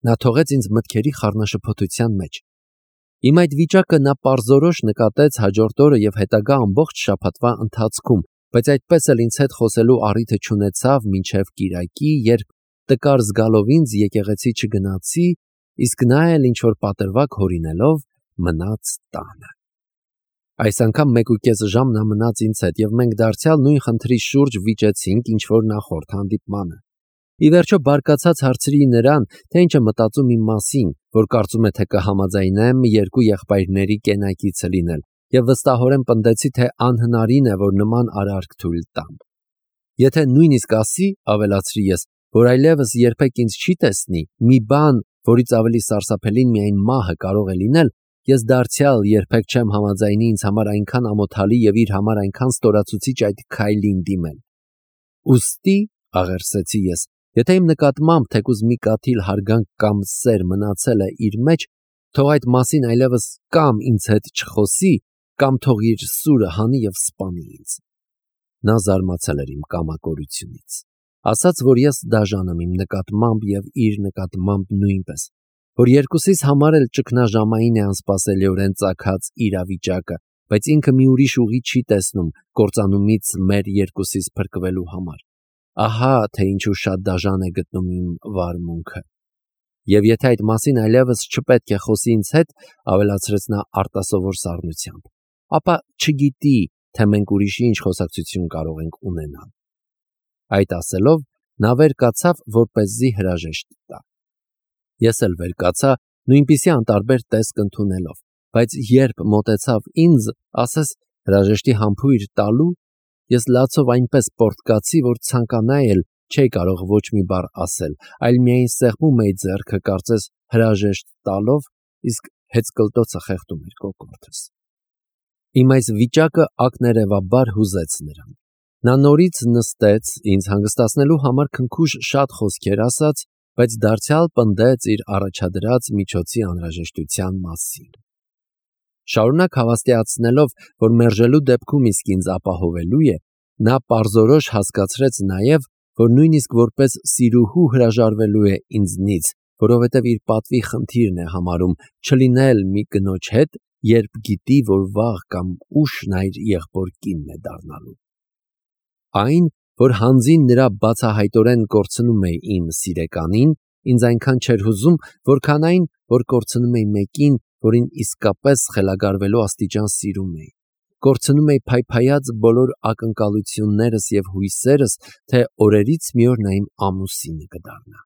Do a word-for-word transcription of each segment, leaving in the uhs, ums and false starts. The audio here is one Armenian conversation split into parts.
Նա թողեց ինձ մտքերի խառնաշփոթության մեջ։ Իմ այդ վիճակը նա պարզորոշ նկատեց հաջորդ օրը և հետագա ամբողջ շաբաթվա ընթացքում, բայց այդպես էլ ինձ հետ խոսելու առիթը չունեցավ մինչև կիրակի, երբ տկար զգալով ինձ եկեղեցի չգնացի, իսկ նա էլ ինչ-որ պատրվակ հորինելով մնաց տանը։ Այս անգամ մեկ ու կես ժամ նա մնաց ինձ հետ, և մենք դարձյալ նույն խնդրի շուրջ վիճեցինք, ինչ որ նախորդ հանդիպմանը։ Ի վերջո բարկացած հարցրի նրան, թե ինչ է մտածում իմ մասին, որ կարծում է, թե կհամաձայնեմ երկու եղբայրների կենակիցը լինել, և վստահորեն պնդեցի, թե անհնարին է, որ նման արարք թույլ տամ։ Եթե նույնիսկ ասի, ավելացրի ես, որ այլևս երբեք ինձ չի տեսնի, մի բան, որից ավելի սարսափելին միայն մահը կարող է լինել, ես դարձյալ երբեք չեմ համաձայնի ինձ համար այնքան ամոթալի և իր համար այնքան ստորացուցիչ այդ քայլին դիմել։ Ուստի, աղերսեցի ես, եթե իմ նկատմամբ թեկուզ մի կաթիլ հարգանք կամ սեր մնացել է իր մեջ, թող այդ մասին այլևս կամ ինձ հետ չխոսի, կամ թող իր սուրը հանի և սպանի ինձ։ Նա զարմացել էր իմ կամակորությունից, ասաց, որ ես դաժան եմ իմ նկատմամբ և իր նկատմամբ նույնպես, որ երկուսիս համար էլ ճգնաժամային է անսպասելիորեն ծագած իրավիճակը, բայց ինքը մի ուրիշ ուղի չի տեսնում կործանումից մեր երկուսիս փրկվելու համար։ Ահա թե ինչու շատ դաժան է գտնում իմ վարմունքը։ Եվ եթե այդ մասին այլևս չպետք է խոսի ինձ հետ, ավելացրեց նա արտասովոր սառնությամբ, ապա չգիտի, թե մենք ուրիշի ինչ խոսակցություն կարող ենք ունենալ։ Այդ ասելով, նա վեր կացավ, որպեսզի հրաժեշտ տա։ Ես էլ վեր կացա, նույնպիսի անտարբեր տեսք ընդունելով, բայց երբ մոտեցավ ինձ, ասես հրաժեշտի համբույր տալու, ես լացով այնպես պոռթկացի, որ ցանկանայի էլ չէի կարող ոչ մի բառ ասել, այլ միայն սեղմում էի ձեռքը, կարծես հրաժեշտ տալով, իսկ հեծկլտոցը խեղդում էր կոկորդս։ Իմ այս վիճակը ակներևաբար հուզեց նրան։ Նա նորից նստեց, ինձ հանգստացնելու համար քնքուշ շատ խոսքեր ասաց, բայց դարձյալ պնդեց իր առաջադրած միջոցի անհրաժեշտության մասին։ Շարունակ հավաստիացնելով, որ մերժելու դեպքում իսկ ինձ ապահովելու է, նա պարզորոշ հասկացրեց նաև, որ նույնիսկ որպես սիրուհու հրաժարվելու է ինձնից, որովհետև իր պատվի խնդիրն է համարում չլինել մի կնոջ հետ, երբ գիտի, որ վաղ կամ ուշ նա իր եղբոր կինն է դառնալու։ Այն, որ հանձին նրա բացահայտորեն կորցնում է իմ սիրեկանին, ինձ այնքան չէր հուզում, որքան այն, որ կորցնում էի մեկին, որին իսկապես խելագարվելու աստիճան սիրում էի։ Կորցնում էի փայփայած բոլոր ակնկալություններս և հույսերս, թե օրերից մի օր նա իմ ամուսինը կդառնա։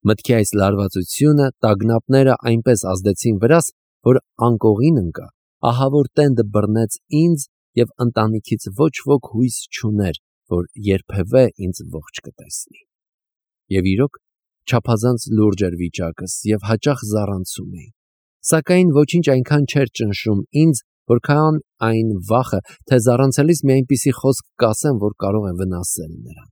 Մտքի այս լարվածությունը, տագնապները այնպես ազդեցին վրաս, որ անկողին ընկա, ահավոր տենդը բռնեց ինձ և ընտանիքից ոչ ոք հույս չուներ, որ երբևէ ինձ ողջ կտեսնի։ Եվ իրոք, չափազանց լուրջ էր վիճակս և հաճախ զառանցում էի, սակայն ոչինչ այնքան չէր ճնշում ինձ, որքան այն վախը, թե զառանցելիս մի այնպիսի խոսք կասեմ, որ կարող է վնասել նրան։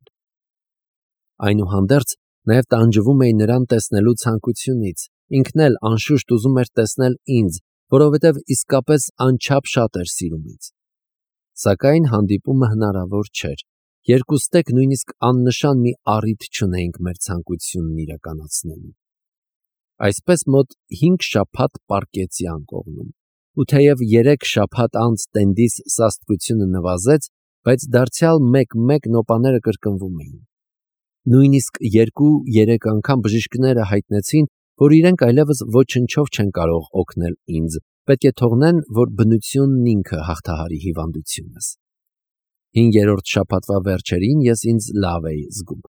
Այնուհանդերձ, նաև տանջվում էի նրան տեսնելու ցանկությունից, ինքն էլ անշուշտ ուզում էր տեսնել ինձ, որովհետև իսկապես անչափ շատ էր սիրում ինձ։ Սակայն հանդիպումը հնարավոր չէր, երկուստեք նույնիսկ աննշան մի առիթ չունեինք մեր ցանկությունն իրականացնելու։ Այսպես մոտ հինգ շաբաթ պառկեցի անկողնում, ու թեև երեք շաբաթ անց տենդիս սաստկությունը նվազեց, բայց դարձյալ մեկ-մեկ նոպաները կրկնվում էին։ Նույնիսկ երկու-երեք անգամ բժիշկները հայտնեցին, որ իրենք այլևս ոչնչով չեն կարող օգնել ինձ, պետք է թողնեն, որ բնությունն ինքը հաղթահարի հիվանդությունս։ Հինգերորդ շաբաթվա վերջերին ես ինձ լավ էի զգում,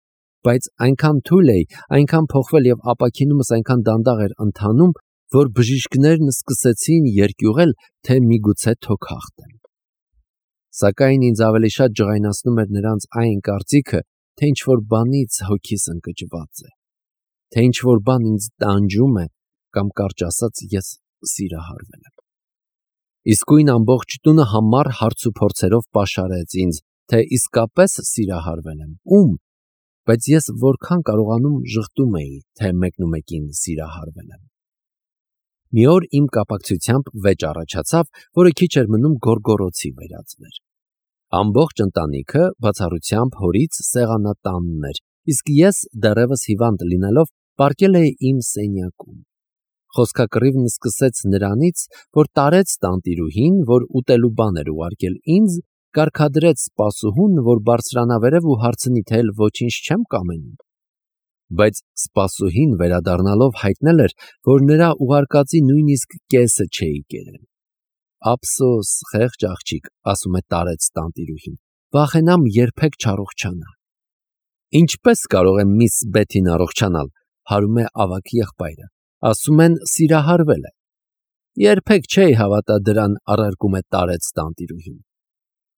բայց այնքան թույլ էի, այնքան փոխվել և ապաքինումս այնքան դանդաղ էր ընթանում, որ բժիշկներն սկսեցին երկյուղել, թե միգուցե թոք հաղթեմ։ Սակայն ինձ ավելի շատ ջղայնացնում էր նրանց այն կարծիքը, թե ինչ-որ բանից հոգիս ընկճված է, թե ինչ-որ բան ինձ տանջում է, կամ կարճ ասած, ես սիրահարվել եմ։ Իսկույն ամբողջ տունը համառ հարցուփորձերով պաշարեց ինձ, թե իսկապես սիրահարվել եմ, ում, բայց ես որքան կարողանում ժխտում էի, թե մեկնումեկին սիրահարվել եմ։ Մի օր իմ կապակցությամբ վեճ առաջացավ, որը քիչ էր մնում գոռգոռոցի վերածվեր։ Ամբողջ ընտանիքը, բացառությամբ հորից, սեղանատանն էր, իսկ ես, դեռևս հիվանդ լինելով, պառկել է իմ սենյակում։ Խոսքակռիվն սկսեց նրանից, որ տարեց տանտիրուհին, որ ուտելու բան էր ուղարկել ինձ, կարգադրեց սպասուհուն, որ բարձրանա վերև ու հարցնի, թե էլ ոչինչ չեմ կամենում։ Բայց սպասուհին վերադառնալով հայտնել էր, որ նրա ուղարկածի նույնիսկ կեսը չէի կերել։ Ափսոս, խեղճ աղջիկ, ասում է տարեց տանտիրուհին, վախենամ երբեք չառողջանա։ Ինչպես կարող է միս Բեթին առողջանալ, հարում է ավագ եղբայրը, ասում են սիրահարվել է։ Երբեք չէի հավատա դրան, առարկում է տարեց տանտիրուհին։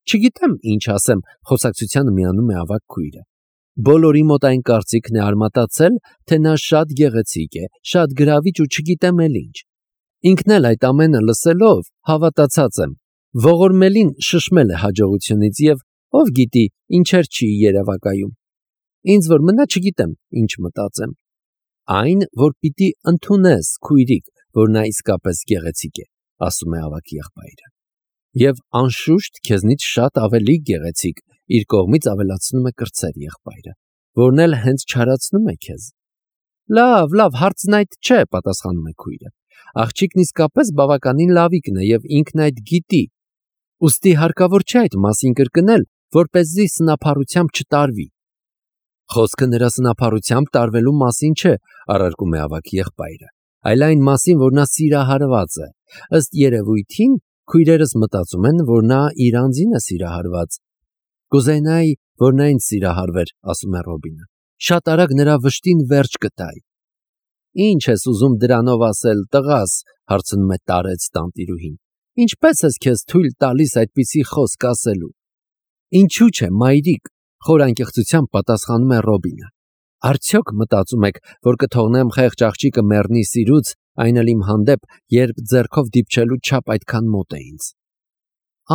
Չգիտեմ ինչ ասեմ, խոսակցությանը միանում է ավագ քույրը։ Բոլորի մոտ այն կարծիքն է արմատացել, թե նա շատ գեղեցիկ է, շատ գրավիչ ու չգիտեմ էլ ինչ։ Ինքն էլ այդ ամենը լսելով հավատացած եմ, ողորմելին շշմել է հաջողությունից եւ ով գիտի ինչեր չի երևակայում։ Ինձ որ մնա չգիտեմ ինչ մտածեմ։ Այն, որ պիտի ընդունես, քույրիկ, որ նա իսկապես գեղեցիկ է, ասում է ավագ եղբայրը։ Եվ անշուշտ քեզնից շատ ավելի գեղեցիկ, իր կողմից ավելացնում է կրտսեր եղբայրը, որն էլ հենց չարացնում է քեզ։ Լավ, լավ, հարցն այդ չէ, պատասխանում է քույրը։ Աղջիկն իսկապես բավականին լավիկն է եւ ինքն այդ գիտի։ Ուստի հարկավոր չէ այդ մասին կրկնել, որպեսզի սնափառությամբ չտարվի։ Խոսքը նրա սնափառությամբ տարվելու մասին չէ, առարկում է ավագ եղբայրը, այլ այն մասին, որ նա սիրահարված է։ Ըստ երևույթին քույրերս մտածում են, որ նա իր անձին է սիրահարված։ Կուզենայի, որ նա ինձ սիրահարվեր, ասում է Ռոբինը։ Շատ արագ նրա վշտին վերջ կտայի։ Ինչ ես ուզում դրանով ասել, տղաս, հարցնում է տարեց տանտիրուհին։ Ինչպես ես քեզ թույլ տալիս այդպիսի խոսք ասելու։ Ինչու՞ չէ, մայրիկ, խոր անկեղծությամբ պատասխանում է Ռոբինը։ Արդյոք մտածում եք, որ կթողնեմ խեղճ աղջիկը մեռնի սիրուց, այն էլ իմ հանդեպ, երբ ձեռքով դիպչելու չափ այդքան մոտ է ինձ։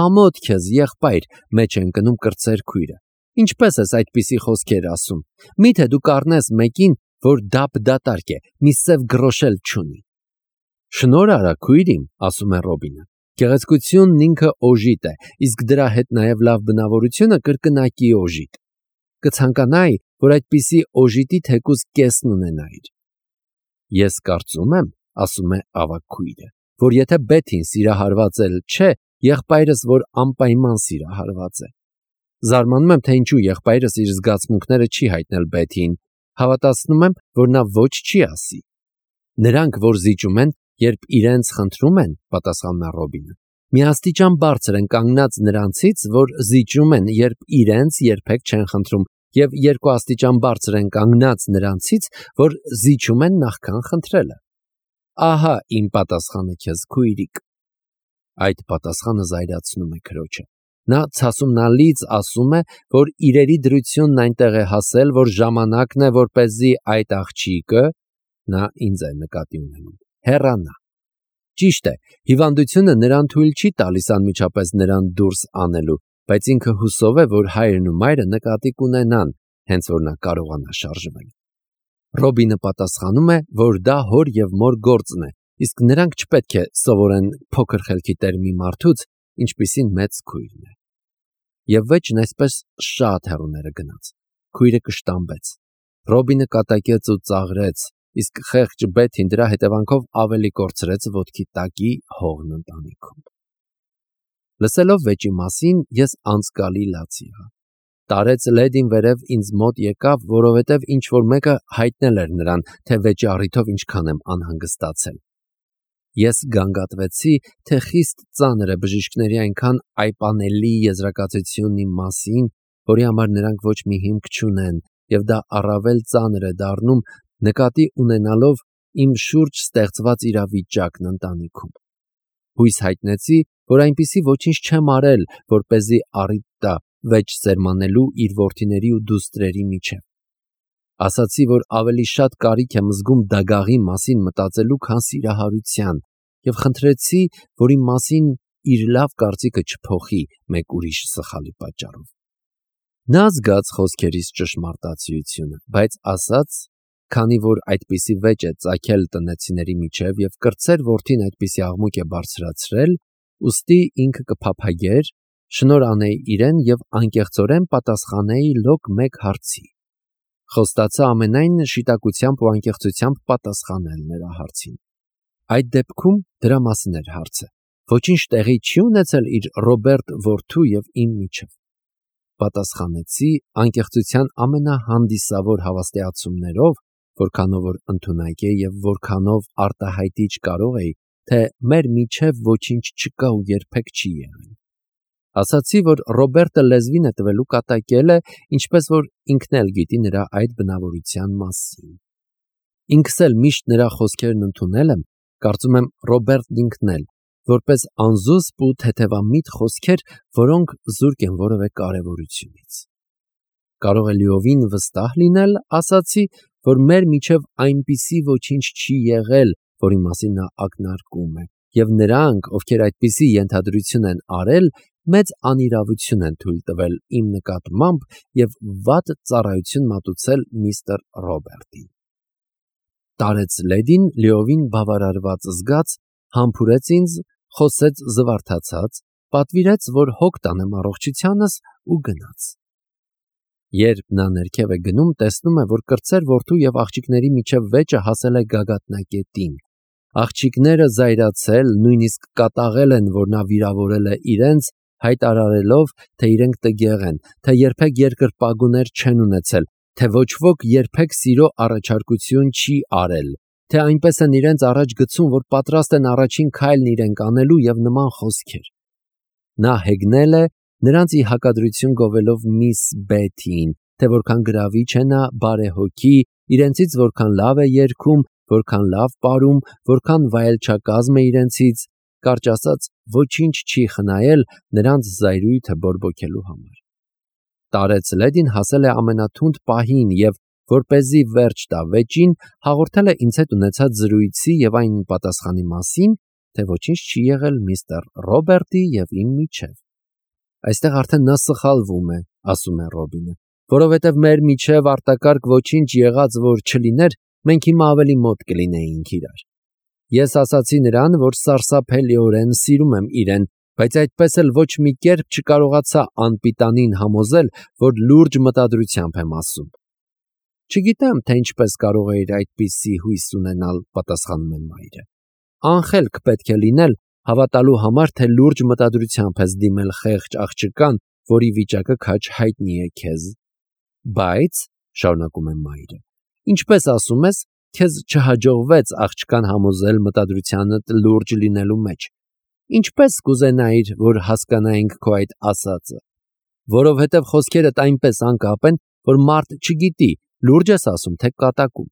Ամոթ քեզ, եղբայր, մեջ է ընկնում կրտսեր քույրը։ Ինչպես ես այդպիսի խոսքեր ասում։ Միթե դու կառնես մեկին, որ դափ դատարկ է, մի սև գրոշել չունի։ Շնորհ արա, քույր իմ, ասում է Ռոբինը։ Գեղեցկությունն ինքը օժիտ է, իսկ դրա հետ նաև լավ բնավորությունը կրկնակի օժիտ։ Կցանկանայի, որ այդպիսի օժիտի թեկուզ կեսն ունենայիր։ Ես կարծում եմ, ասում է ավագ քույրը, որ եթե Բեթին սիրահարված էլ չէ, եղբայրս որ անպայման սիրահարված է։ Զարմանում եմ, թե ինչու եղբայրս իր զգացմունքները չի հայտնել Բեթին, հավատացնում եմ, որ նա ոչ չի ասի։ Նրանք, որ զիջում են, երբ իրենց խնդրում են, պատասխանում է Ռոբինը, միաստիճան բարձր են կանգնած նրանցից, որ զիջում են, երբ իրենց երբեք չեն խնդրում, եւ երկու աստիճան բարձր են կանգնած նրանցից, որ զիջում են նախքան խնդրելը։ Ահա իմ պատասխանը քեզ, քույրիկ։ Այդ պատասխանը զայրացնում է քրոջը։ Նա ցասումնալից ասում է, որ իրերի դրությունն այնտեղ է հասել, որ ժամանակն է, որպեսզի այդ աղջիկը, նա ինձ է նկատի ունենում, հեռանա։ Ճիշտ է, հիվանդությունը նրան թույլ չի տալիս անմիջապես նրան դուրս անելու, բայց ինքը հուսով է, որ հայրն ու մայրը նկատի կունենան, հենց որ նա կարողանա շարժվել։ Ռոբինը պատասխանում է, որ դա հոր եւ մոր գործն է, իսկ նրանք չպետք է սովորեն փոքր խելքի տեր մի մարդուց, ինչպիսին մեծ քույրն է։ Եվ վեճն այսպես շատ հեռուները գնաց։ Քույրը կշտամբեց։ Ռոբինը կատակեց ու ծաղրեց, իսկ խեղճ Բեթին դրա հետևանքով ավելի կորցրեց ոտքի տակի հողն ընտանիքում։ Լսելով վեճի մասին, ես անցկալի լաց եղա։ Տարեց լեդին վերև ինձ մոտ եկավ, որովհետև ինչ-որ մեկը հայտնել էր նրան, թե վեճի առիթով ինչքան եմ անհանգստացել։ Ես գանգատվեցի, թե խիստ ծանր է բժիշկների այնքան այպանելի եզրակացությունն իմ մասին, որի համար նրանք ոչ մի հիմք չունեն, եւ դա առավել ծանր է դառնում, նկատի ունենալով իմ շուրջ ստեղծված իրավիճակն ընտանիքում։ Հույս հայտնեցի, որ այնպիսի ոչինչ չեմ արել, որպեսզի առիթ տա վեճ սերմանելու իր որդիների ու դուստրերի միջև։ Ասացի, որ ավելի շատ կարիք եմ զգում դագաղի մասին մտածելու, քան սիրահարության, եւ խնդրեցի, որ իմ մասին իր լավ կարծիքը չփոխի մեկ ուրիշ սխալի պատճառով։ Նա զգաց խոսքերիս ճշմարտացիությունը, բայց ասաց, քանի որ այդպիսի վեճ է ծագել տնեցիների միջև եւ կրտսեր որդին այդպիսի աղմուկ է բարձրացրել, ուստի ինքը կփափագեր, շնորհ անեի իրեն եւ անկեղծորեն պատասխանեի լոկ մեկ հարցի։ Խոստացա ամենայն շիտակությամբ ու անկեղծությամբ պատասխանել նրա հարցին։ Այդ դեպքում դրա մասին էր հարցը։ Ոչինչ տեղի չի ունեցել իր Ռոբերտ որդու եւ իմ միջև։ Պատասխանեցի անկեղծության ամենահանդիսավոր հավաստիացումներով, որքանով որ ընդունակ է եւ որքանով արտահայտիչ կարող էի, թե մեր միջև ոչինչ չկա ու երբեք չի եղել։ Ասացի, որ Ռոբերտը լեզվին է տվելու կատակել է, ինչպես որ ինքն էլ գիտի նրա այդ բնավորության մասին։ Ինքս էլ միշտ նրա խոսքերն ընդունել եմ, կարծում եմ Ռոբերտն ինքն էլ, որպես անզուսպ ու թեթևամիտ խոսքեր, որոնք զուրկ են որևէ կարևորությունից։ Կարող է լիովին վստահ լինել, ասացի, որ մեր միջև այնպիսի ոչինչ չի եղել, որի մասին նա ակնարկում է, եւ նրանք, ովքեր այդպիսի ենթադրություն են արել, մեծ անիրավություն են թույլ տվել իմ նկատմամբ եւ վատ ծառայություն մատուցել միստր Ռոբերտին։ Տարեց լեդին լիովին բավարարված զգաց, համբուրեց ինձ, խոսեց զվարթացած, պատվիրեց, որ հոգ տանեմ առողջությանս ու գնաց։ Երբ նա ներքև է գնում, տեսնում է, որ կրտսեր որդու եւ աղջիկների միջև վեճը հասել է գագաթնակետին։ Աղջիկները զայրացել, նույնիսկ կատաղել են, որ նա վիրավորել է իրենց, հայտարարելով, թե իրենք տգեղ են, թե երբեք երկրպագուներ չեն ունեցել, թե ոչ ոք երբեք սիրո առաջարկություն չի արել, թե այնպես են իրենց առաջ գցում, որ պատրաստ են առաջին քայլն իրենք անելու եւ նման խոսքեր։ Նա հեգնել է, նրանց ի հակադրություն գովելով միս Բեթիին, թե որքան գրավիչ է նա բարեհոգի, իրենցից որքան լավ է երգում, որքան լավ պարում, որքան վայելչակազմ է իրենցից, կարճ ասած, ոչինչ չի խնայել նրանց զայրույթը բորբոքելու համար։ Տարեց լեդին հասել է ամենաթունդ պահին եւ, որպեսզի վերջ տա վեճին, հաղորդել է ինձ հետ ունեցած զրույցի եւ այն պատասխանի մասին, թե ոչինչ չի եղել միստր Ռոբերտի եւ իմ միջև։ Այստեղ արդեն նա սխալվում է, ասում է Ռոբինը, որովհետև մեր միջև արտակարգ ոչինչ եղած որ չլիներ, մենք հիմա ավելի մոտ կլինեինք իրար։ Ես ասացի նրան, որ սարսափելիորեն սիրում եմ իրեն, բայց այդպես էլ ոչ մի կերպ չկարողացա անպիտանին համոզել, որ լուրջ մտադրությամբ եմ ասում։ Չգիտեմ, թե ինչպես կարող էիր այդպիսի հույս ունենալ, պատասխանում է մայրը։ Անխելք պետք է լինել, հավատալու համար, թե լուրջ մտադրությամբ ես դիմել խեղճ աղջկան, որի վիճակը քաջ հայտնի է քեզ։ Բայց, շարունակում է մայրը, ինչպես ասում ես, քեզ չհաջողվեց աղջկան համոզել մտադրությանդ լուրջ լինելու մեջ։ Ինչպես կուզենայիր, որ հասկանայինք քո այդ ասածը, որովհետև խոսքերդ այնպես անկապ են, որ մարդ չգիտի, լուրջ ես ասում, թե կատակում։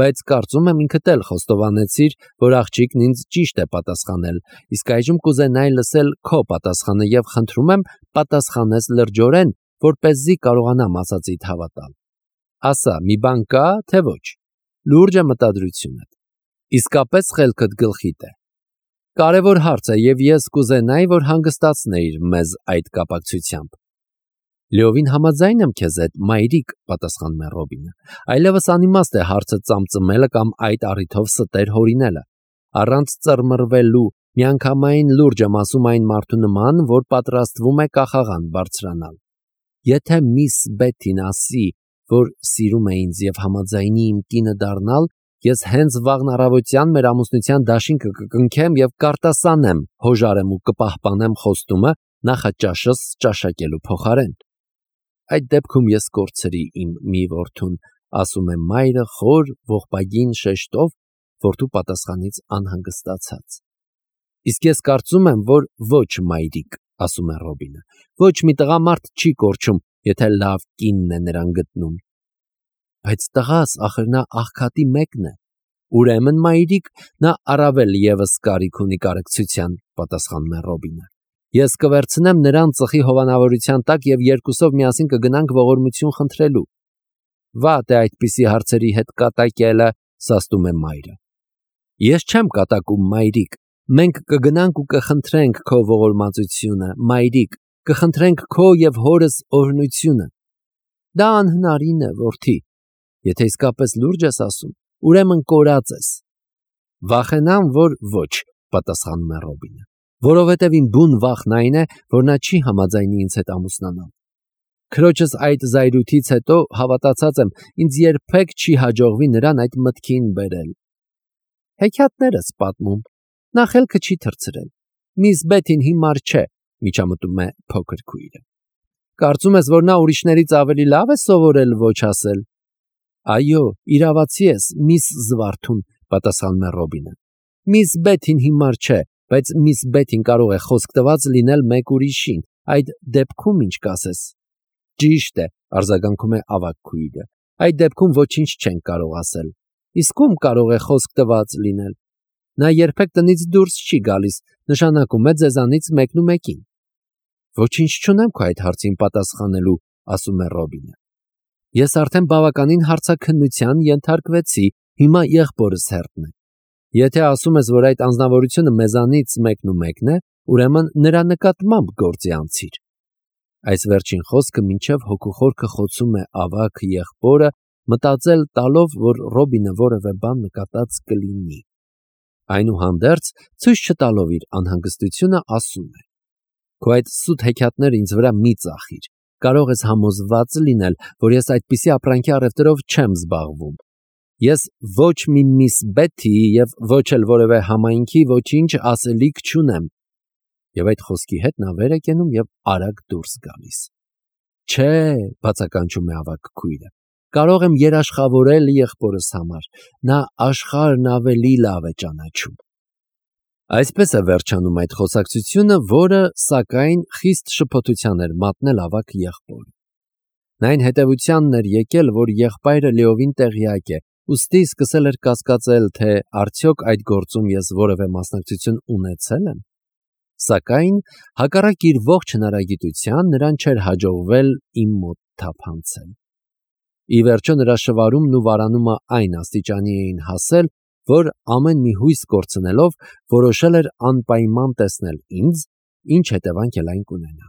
Բայց կարծում եմ ինքդ էլ խոստովանեցիր, որ աղջիկն ինձ ճիշտ է պատասխանել, իսկ այժմ կուզենայի լսել քո պատասխանը եւ խնդրում եմ պատասխանես լրջորեն, որպեսզի կարողանամ ասածիդ հավատալ։ Ասա, մի բան կա, թե ոչ։ Լուրջ է մտադրությունդ։ Իսկապես խելքդ գլխիդ է։ Կարևոր հարց է եւ ես կուզենայի, որ հանգստացնեիր մեզ այդ կապակցությամբ։ Լիովին համաձայն եմ քեզ հետ, մայրիկ, պատասխանում է Ռոբինը։ Այլևս անիմաստ է հարցը ծամծմելը կամ այդ առիթով ստեր հորինելը։ Առանց ծռմռվելու, միանգամայն լուրջ եմ ասում այն մարդու նման, որ պատրաստվում է կախաղան բարձրանալ։ Եթե միս Բեթին ասի, որ սիրում է ինձ եւ համաձայնի իմ կինը դառնալ, ես հենց վաղն առավոտյան մեր ամուսնության դաշինքը կկնքեմ եւ կարտասանեմ, հոժարեմ ու կպահպանեմ խոստումը նախաճաշս ճաշակելու փոխարեն։ Այդ դեպքում ես կորցրի իմ մի որդուն, ասում է մայրը խոր ողբագին շեշտով, որդու պատասխանից անհանգստացած։ Իսկ ես կարծում եմ, որ ոչ մայրիկ, ասում է Ռոբինը, ոչ մի տղամարդ չի կորչում, եթե լավ կինն է նրան գտնում։ Բայց տղաս, ախր նա աղքատի մեկն է։ Ուրեմն մայրիկ, նա առավել եւս կարիք ունի կարեկցության, պատասխանում է Ռոբինը։ Ես կվերցնեմ նրան ծխի հովանավորության տակ եւ երկուսով միասին կգնանք ողորմություն խնդրելու։ Վատ է այդպիսի հարցերի հետ կատակելը, սաստում է մայրը։ Ես չեմ կատակում, մայրիկ։ Մենք կգնանք ու կխնդրենք քո ողորմածությունը, մայրիկ, կխնդրենք քո եւ հորս օրհնությունը։ Դա անհնարին է, որդի։ Եթե իսկապես լուրջ ես ասում, ուրեմն կորած ես։ Վախենամ, որ ոչ, պատասխանում է Ռոբինը, որովհետև իմ բուն վախն այն է, որ նա չի համաձայնի ինձ հետ ամուսնանալ։ Քրոջս այդ զայրույթից հետո հավատացած եմ, ինձ երբեք չի հաջողվի նրան այդ մտքին բերել։ Հեքիաթներս պատմում, նա խելքը չի թռցրել։ Միս Բեթին հիմար չէ, միջամտում է փոքր քույրը։ Կարծում ես, որ նա ուրիշներից ավելի լավ է սովորել ոչ ասել։ Այո, իրավացի ես, միս Զվարթուն, պատասխանում է Ռոբինը։ Միս Բեթին հիմար չէ, բայց միս Բեթին կարող է խոսք տված լինել մեկ ուրիշին, այդ դեպքում ինչ կասես։ Ճիշտ է, արձագանքում է ավագ քույրը։ Այդ դեպքում ոչինչ չենք կարող ասել։ Իսկ ում կարող է խոսք տված լինել։ Նա երբեք տնից դուրս չի գալիս, նշանակում է ձեզանից մեկն ու մեկին։ Ոչինչ չունեմ քո այդ հարցին պատասխանելու, ասում է Ռոբինը։ Ես արդեն բավականին հարցաքննության ենթարկվեցի, հիմա եղբորս հերթն է։ Եթե ասում ես, որ այդ անձնավորությունը մեզանից մեկն ու մեկն է, ուրեմն նրա նկատմամբ գործի անցիր։ Այս վերջին խոսքը մինչև հոգուխորքը խոցում է ավագ եղբորը, մտածել տալով, որ Ռոբինը որևէ բան նկատած կլինի։ Այնուհանդերձ, ցույց չտալով իր անհանգստությունը, ասում է. Քո այդ սուտ հեքիաթները ինձ վրա մի ծախիր։ Կարող ես համոզված լինել, որ ես այդպիսի ապրանքի առևտրով չեմ զբաղվում։ Ես ոչ մի միս Բեթի և ոչ էլ որևէ համայնքի ոչինչ ասելիք չունեմ։ Եվ այդ խոսքի հետ նա վեր է կենում և արագ դուրս գալիս։ Չէ, բացականչում է ավագ քույրը, կարող եմ երաշխավորել եղբորս համար, նա աշխարհն ավելի լավ է ճանաչում։ Այսպես է վերջանում այդ խոսակցությունը, որը, սակայն, խիստ շփոթության էր մատնել ավագ եղբորը։ Նա այն հետևությանն էր եկել, որ եղբայրը լիովին տեղյակ է, ուստի սկսել էր կասկածել, թե արդյոք այդ գործում ես որևէ մասնակցություն ունեցել եմ։ Սակայն, հակառակ իր ողջ հնարագիտության, նրան չէր հաջողվել իմ մոտ թափանցել։ Ի վերջո նրա շվարումն ու վարանումը այն աստիճանի էին հասել, որ ամեն մի հույս կորցնելով, որոշել էր անպայման տեսնել ինձ, ինչ հետևանք էլ այն կունենա։